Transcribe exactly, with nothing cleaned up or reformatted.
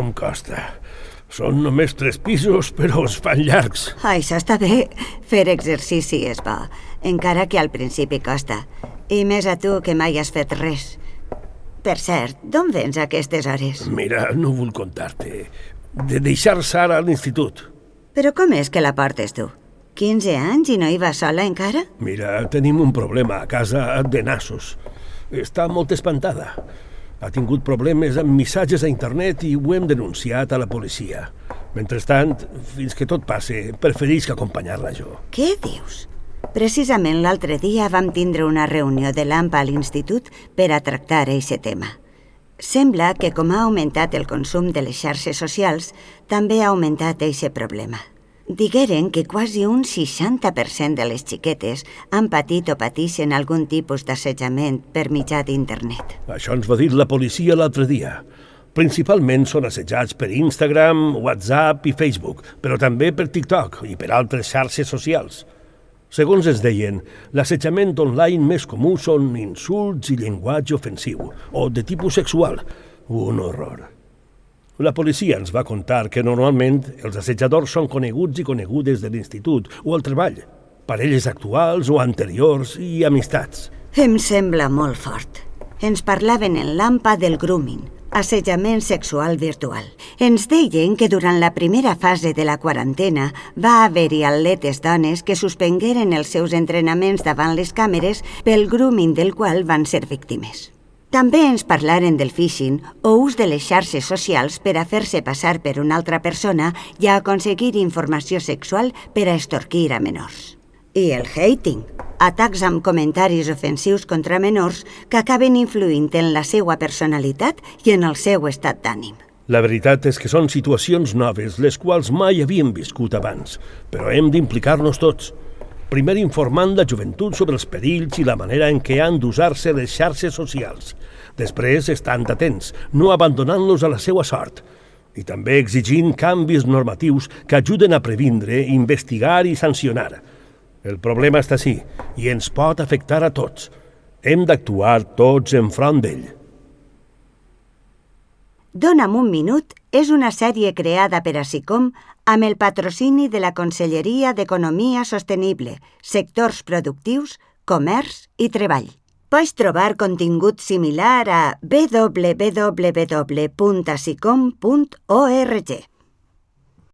com costa. Són només tres pisos, però es fan llargs. Això està bé. Fer exercici és bo, encara que al principi costa. I més a tu que mai has fet res. Per cert, d'on vens a aquestes hores? Mira, no vull contar-te. De deixar Sara a l'institut. Però com és que la portes tu? quinze anys i no hi va sola encara? Mira, tenim un problema a casa de nassos. Està molt espantada. Ha tingut problemes amb missatges a internet i ho hem denunciat a la policia. Mentrestant, fins que tot passe, preferís que acompanyar-la jo. Què dius? Precisament l'altre dia vam tindre una reunió de l'A M P A a l'institut per a tractar aquest tema. Sembla que com ha augmentat el consum de les xarxes socials, també ha augmentat aquest problema. Digueren que quasi un seixanta per cent de les xiquetes han patit o pateixen algun tipus d'assetjament per mitjà d'internet. Això ens va dir la policia l'altre dia. Principalment són assetjats per Instagram, WhatsApp i Facebook, però també per TikTok i per altres xarxes socials. Segons es deien, l'assetjament online més comú són insults i llenguatge ofensiu, o de tipus sexual. Un horror. La policia ens va contar que normalment els assetjadors són coneguts i conegudes de l'institut o al treball, parelles actuals o anteriors i amistats. Em sembla molt fort. Ens parlaven en l'A M P A del grooming, assetjament sexual virtual. Ens deien que durant la primera fase de la quarantena va haver-hi atletes dones que suspengueren els seus entrenaments davant les càmeres pel grooming del qual van ser víctimes. També ens parlaren del phishing o ús de les xarxes socials per a fer-se passar per una altra persona i a aconseguir informació sexual per a extorquir a menors. I el hating, atacs amb comentaris ofensius contra menors que acaben influint en la seva personalitat i en el seu estat d'ànim. La veritat és que són situacions noves, les quals mai havíem viscut abans, però hem d'implicar-nos tots. Primer informant la joventut sobre els perills i la manera en què han d'usar-se les xarxes socials. Després, estant atents, no abandonant-los a la seva sort. I també exigint canvis normatius que ajuden a previndre, investigar i sancionar. El problema està així i ens pot afectar a tots. Hem d'actuar tots enfront d'ell. Dona'm un minut és una sèrie creada per a SICOM amb el patrocini de la Conselleria d'Economia Sostenible, Sectors Productius, Comerç i Treball. Pots trobar contingut similar a w w w punt sicom punt org.